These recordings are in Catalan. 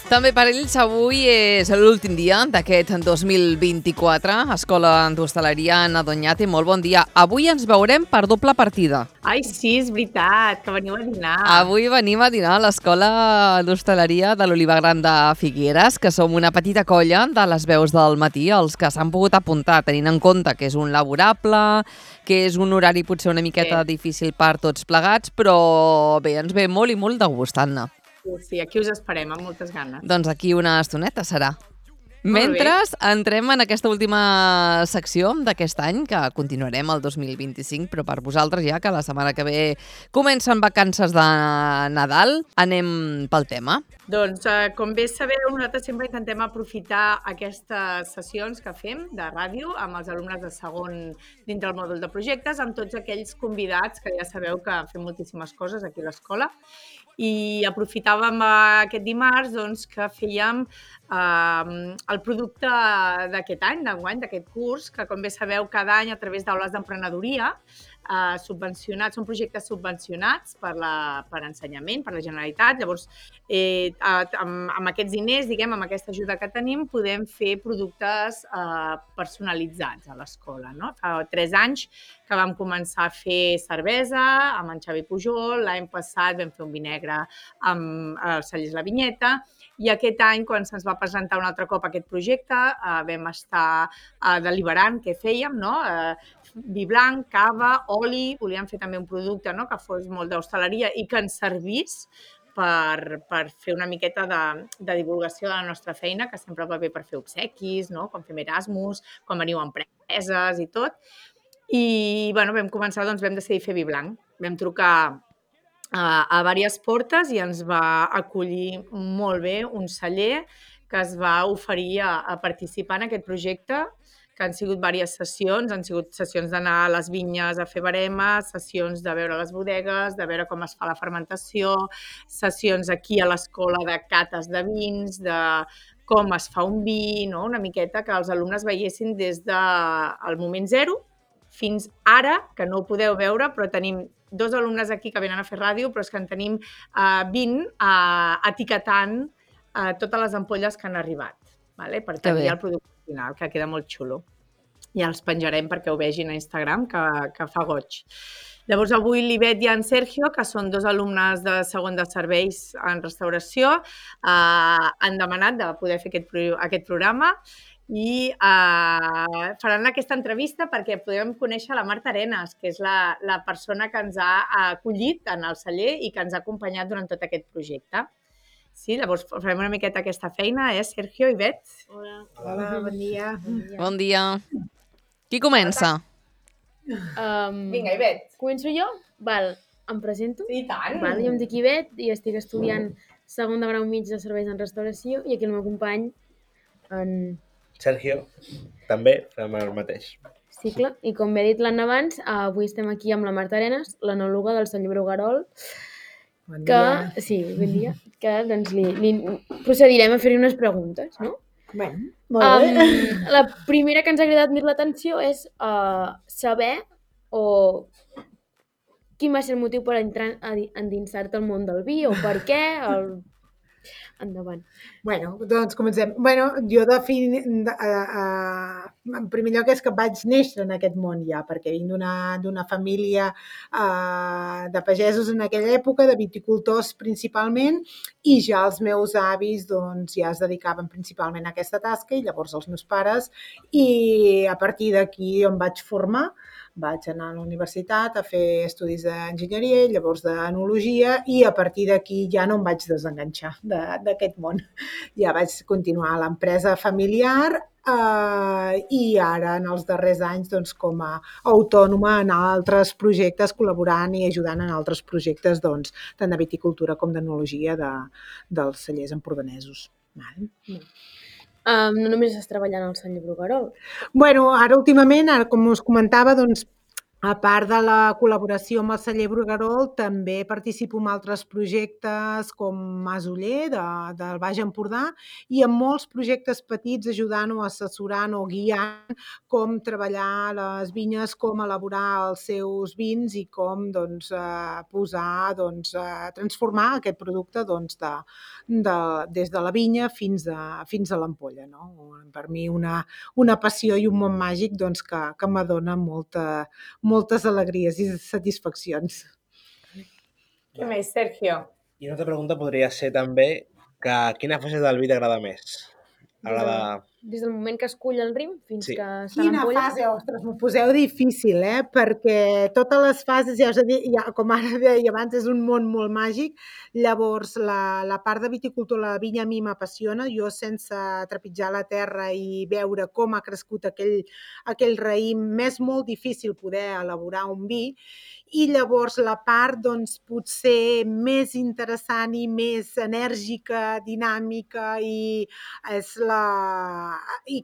També per ells avui és l'últim dia d'aquest 2024. Escola d'Hostaleria Anna Doñate, molt bon dia. Avui ens veurem per doble partida. Ai, sí, és veritat, que veniu a dinar. Avui venim a dinar a l'Escola d'Hostaleria de l'Oliva Gran de Figueres, que som una petita colla de les veus del matí, els que s'han pogut apuntar, tenint en compte que és un laborable, que és un horari potser una miqueta difícil per tots plegats, però bé, ens ve molt i molt de gust, Anna. Sí, aquí us esperem, amb moltes ganes. Doncs aquí una estoneta serà. Mentre entrem en aquesta última secció d'aquest any, que continuarem el 2025, però per vosaltres ja, que la setmana que ve comencen vacances de Nadal, anem pel tema. Doncs, com bé sabeu, nosaltres sempre intentem aprofitar aquestes sessions que fem de ràdio amb els alumnes de segon dintre el mòdul de projectes, amb tots aquells convidats que ja sabeu que fem moltíssimes coses aquí a l'escola. I aprofitàvem aquest dimarts doncs, que fèiem el producte d'aquest any, d'enguany, d'aquest curs, que com bé sabeu cada any a través d'aules d'emprenedoria subvencionats, són projectes subvencionats per ensenyament, per la Generalitat. Llavors, amb aquests diners, diguem, amb aquesta ajuda que tenim, podem fer productes personalitzats a l'escola. No? Fa 3 anys que vam començar a fer cervesa amb en Xavi Pujol, l'any passat vam fer un vi negre amb els cellers La Vinyeta, i aquest any, quan se'ns va presentar un altre cop aquest projecte, vam estar deliberant què fèiem, no? Vi blanc, cava, oli, volíem fer també un producte, no? Que fos molt d'hostaleria i que ens servís per fer una miqueta de divulgació de la nostra feina, que sempre va bé per fer obsequis, no? Quan fem Erasmus, quan veniu a empreses i tot. I bueno, vam començar, doncs vam decidir fer vi blanc. Vam trucar a diverses portes i ens va acollir molt bé un celler que es va oferir a participar en aquest projecte, que han sigut diverses sessions, han sigut sessions d'anar a les vinyes a fer baremes, sessions de veure les bodegues, de veure com es fa la fermentació, sessions aquí a l'escola de cates de vins, de com es fa un vi, no? Una miqueta que els alumnes veiessin des del moment zero fins ara, que no ho podeu veure, però tenim 2 alumnes aquí que venen a fer ràdio, però és que en tenim 20 etiquetant totes les ampolles que han arribat, per tenir el producte final, que queda molt xulo. Ja els penjarem perquè ho vegin a Instagram, que fa goig. Llavors, avui l'Ivet i en Sergio, que són 2 alumnes de segon de serveis en restauració, han demanat de poder fer aquest programa i faran aquesta entrevista perquè podem conèixer la Marta Arenas, que és la persona que ens ha acollit en el celler i que ens ha acompanyat durant tot aquest projecte. Sí, llavors farem una miqueta aquesta feina, Sergio i Bet? Hola, bon dia. Bon dia. Qui comença? Vinga, Ivet. Començo jo? Val, em presento. I tant. Val, jo em dic Ivet i estic estudiant segon de grau mig de serveis en restauració i aquí el meu company en Sergio, també fem el mateix cicle. I com bé ha dit l'Anna abans, avui estem aquí amb la Marta Arenas, l'enòloga del celler Bruguerol. Bon dia. Sí, bon dia. Que doncs li procedirem a fer-hi unes preguntes, no? Bé, molt bé. La primera que ens ha cridat més l'atenció és saber quin va ser el motiu per entrar a endinsar-te al món del vi o per què. Endavant. Bueno, doncs comencem. Bueno, jo en primer lloc és que vaig néixer en aquest món ja, perquè vinc d'una família de pagesos en aquella època, de viticultors principalment, i ja els meus avis doncs, ja es dedicaven principalment a aquesta tasca, i llavors els meus pares, i a partir d'aquí em vaig formar. Vaig anar a la universitat a fer estudis d'enginyeria i llavors d'enologia i a partir d'aquí ja no em vaig desenganxar d'aquest món. Ja vaig continuar a l'empresa familiar i ara en els darrers anys doncs, com a autònoma en altres projectes, col·laborant i ajudant en altres projectes doncs, tant de viticultura com d'enologia dels cellers empordanesos. No només estàs treballant al celler Bruguerol. Bueno, ara últimament, com us comentava, doncs A part de la col·laboració amb el celler Bruguerol, també participo en altres projectes com Masoller, del Baix Empordà, i en molts projectes petits ajudant o assessorant o guiant com treballar les vinyes, com elaborar els seus vins i com posar, transformar aquest producte des de la vinya fins a l'ampolla. No? Per mi una passió i un món màgic que m'adona moltes alegries i satisfaccions. Què més, Sergio? I una altra pregunta podria ser també que quina fase del vi t'agrada més? Des del moment que escull el rim fins Sí. que està a Quina l'ampolla. fase? Ostres, m'ho poseu difícil, perquè totes les fases, ja us he dit, com ara deia abans, és un món molt màgic. Llavors, la part de viticultor, la vinya a mi m'apassiona. Jo, sense trepitjar la terra i veure com ha crescut aquell raïm, m'és molt difícil poder elaborar un vi. I llavors la part potser més interessant i més enèrgica, dinàmica i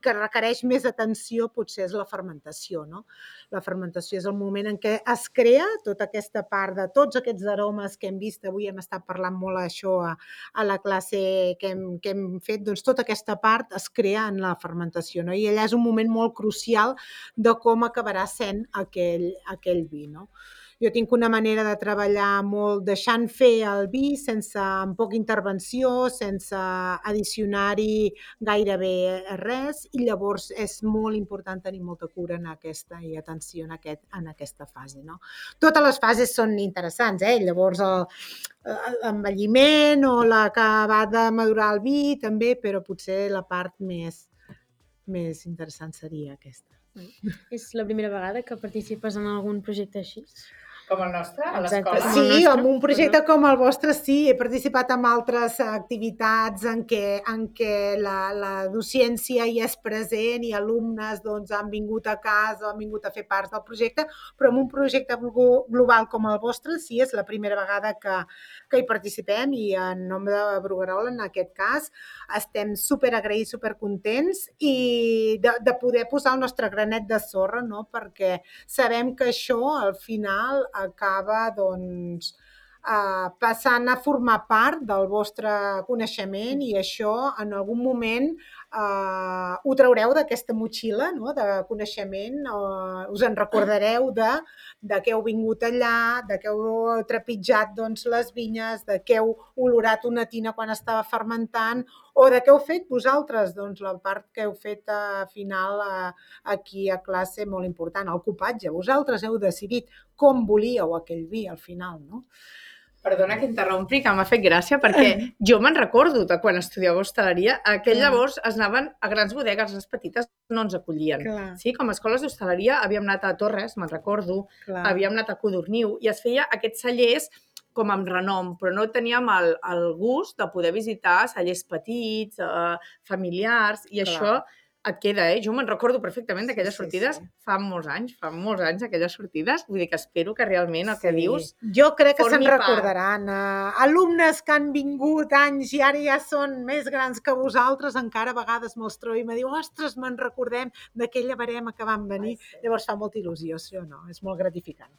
que requereix més atenció potser és la fermentació. No? La fermentació és el moment en què es crea tota aquesta part de tots aquests aromes que hem vist. Avui hem estat parlant molt això a la classe que hem fet. Tota aquesta part es crea en la fermentació. No? I allà és un moment molt crucial de com acabarà sent aquell vi. No? Jo tinc una manera de treballar molt deixant fer el vi, amb poca intervenció, sense addicionar-hi gairebé res, i llavors és molt important tenir molta cura i atenció en aquesta fase. No? Totes les fases són interessants, llavors l'envelliment o la que va de madurar el vi també, però potser la part més interessant seria aquesta. És la primera vegada que participes en algun projecte així? Com el nostre, a Exacte. l'escola? Sí, en un projecte com el vostre sí, he participat en altres activitats en què la docència hi és present i alumnes han vingut a casa, han vingut a fer part del projecte, però en un projecte global com el vostre sí, és la primera vegada que hi participem, i en nom de Bruguerol, en aquest cas, estem superagraïts, supercontents i de poder posar el nostre granet de sorra, no? Perquè sabem que això al final acaba passant a formar part del vostre coneixement, i això en algun moment ho traureu d'aquesta motxilla, no? De coneixement, us en recordareu de què heu vingut allà, de què heu trepitjat les vinyes, de què heu olorat una tina quan estava fermentant, o de què heu fet vosaltres, la part que heu fet final aquí a classe, molt important, el copatge. Vosaltres heu decidit com volíeu aquell vi al final, no? Perdona que interrompi, que m'ha fet gràcia, perquè jo me'n recordo de quan estudiava hostaleria, llavors es anaven a grans bodegues, les petites no ens acollien. Clar. Sí, com a escoles d'hostaleria havíem anat a Torres, me'n recordo, Clar. havíem anat a Codorniu, i es feia aquests cellers com amb renom, però no teníem el gust de poder visitar cellers petits, familiars, i Clar. això et queda, Jo me'n recordo perfectament d'aquelles sortides, sí. fa molts anys aquelles sortides, vull dir que espero que realment el que dius... Jo crec que se'n formi part. recordaran. Alumnes que han vingut anys i ara ja són més grans que vosaltres, encara a vegades me'ls trobo i me diu, ostres, me'n recordem d'aquella barema que van venir. Llavors fa molta il·lusió, això, no? És molt gratificant.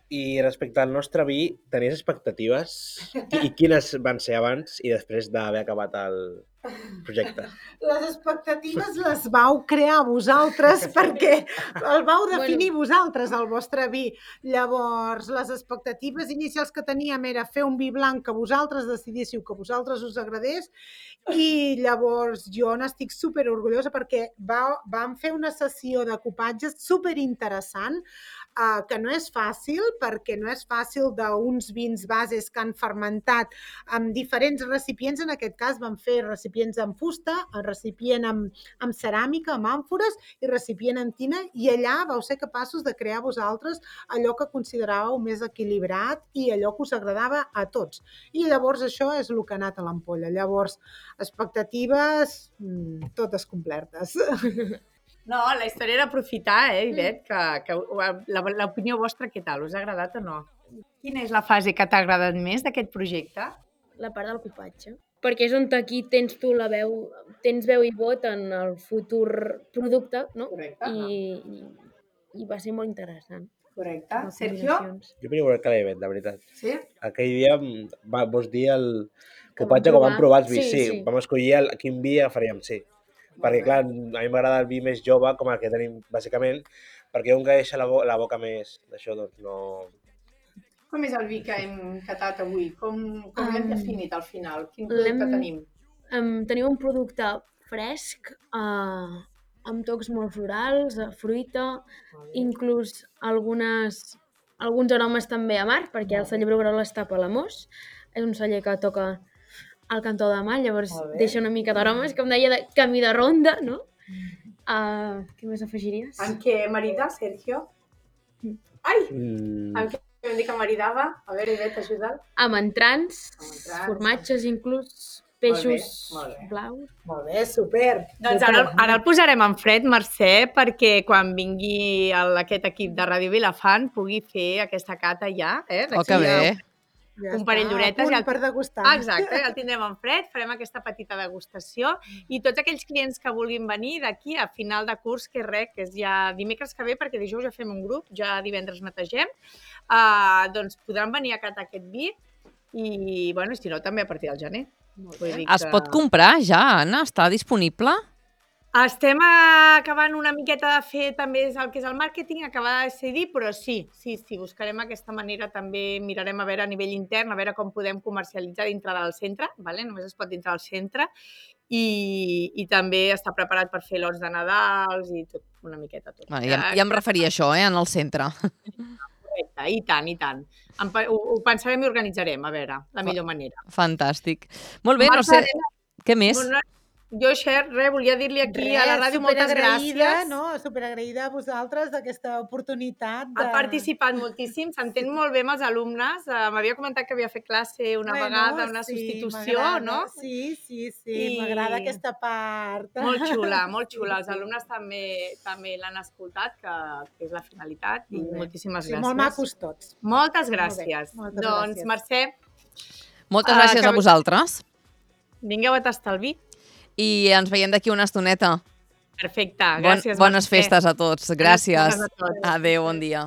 I respecte al nostre vi, tenies expectatives? I quines van ser abans i després d'haver acabat el projecte? Les expectatives les vau crear vosaltres perquè el vau definir vosaltres, el vostre vi. Llavors, les expectatives inicials que teníem era fer un vi blanc que vosaltres decidíssiu, que vosaltres us agradés, i llavors jo n'estic superorgullosa perquè vam fer una sessió de copatges superinteressant, que no és fàcil, perquè no és fàcil d'uns vins bases que han fermentat amb diferents recipients. En aquest cas vam fer recipients amb fusta, recipient amb ceràmica, amb àmfores i recipient amb tina, i allà vau ser capaços de crear vosaltres allò que consideràveu més equilibrat i allò que us agradava a tots. I llavors això és el que ha anat a l'ampolla. Llavors, expectatives totes complertes. No, la història era aprofitar, Ivet, que l'opinió vostra, què tal? Us ha agradat o no? Quina és la fase que t'ha agradat més d'aquest projecte? La part del copatge. Perquè és on aquí tens tu la veu, tens veu i vot en el futur producte, no? Correcte. I va ser molt interessant. Correcte. les Sergio? combinacions. Jo venia a veure l'event, de veritat. Sí? Aquell dia vols dir el Que copatge vam quan vam provar els provar. vis, Sí, sí. sí. Vam escollir quin vi agafaríem, sí. Perquè, clar, a mi m'agrada el vi més jove, com el que tenim, bàsicament, perquè un que deixa la boca més d'això, doncs no... Com és el vi que hem catat avui? Com l'hem definit al final? Quin L'hem- producte tenim? Tenim un producte fresc, amb tocs molt florals, fruita, inclús alguns aromes també a mar, perquè el celler Bruguerola està a Palamós. És un celler que toca al cantó de mar, llavors Molt bé. deixa una mica d'aromes, com deia, de camí de ronda, no? Què més afegiries? Amb què marida, Sergio? Ai! Mm, Amb què vam dir que maridava? A veure, Ivet, ajuda'l. Amb entrants, entrants. formatges inclús, peixos molt bé. blaus. Molt bé, super. Doncs ara el posarem en fred, Mercè, perquè quan vingui aquest equip de Ràdio Vilafant pugui fer aquesta cata ja. Oh, que bé. Ja un parell està, d'horetes a punt i per degustar. Exacte, ja el tindrem en fred, farem aquesta petita degustació i tots aquells clients que vulguin venir d'aquí a final de curs, que és ja dimecres que ve, perquè dijous ja fem un grup, ja divendres netegem, doncs podran venir a catar aquest vi i, bueno, si no, també a partir del gener. Vull dir Es pot comprar ja, Anna? Està disponible? Estem acabant una miqueta de fer també el que és el màrqueting, acabar de decidir, però sí, buscarem aquesta manera, també mirarem a veure a nivell intern, a veure com podem comercialitzar dintre del centre, vale? Només es pot dintre del centre, i també està preparat per fer lots de Nadals i tot, una miqueta tot. Ja em referia a això, en el centre. Correcte, i tant. Ho pensarem i organitzarem, a veure, la millor manera. Fantàstic. Molt bé, no sé... Què més? Jo, Xer, volia dir-li aquí a la ràdio moltes gràcies. Superagraïda a vosaltres d'aquesta oportunitat. Ha participat moltíssim, s'entén molt bé amb els alumnes. M'havia comentat que havia fet classe una vegada, una substitució, no? Sí, m'agrada aquesta part. Molt xula. Els alumnes també l'han escoltat, que és la finalitat, i moltíssimes gràcies. Molt macos tots. Moltes gràcies. Doncs, Mercè... Moltes gràcies a vosaltres. Vingueu a tastar el vi. I ens veiem d'aquí una estoneta. Perfecte, gràcies. Bones festes a tots. Gràcies. Bones festes a tots. Adéu, bon dia.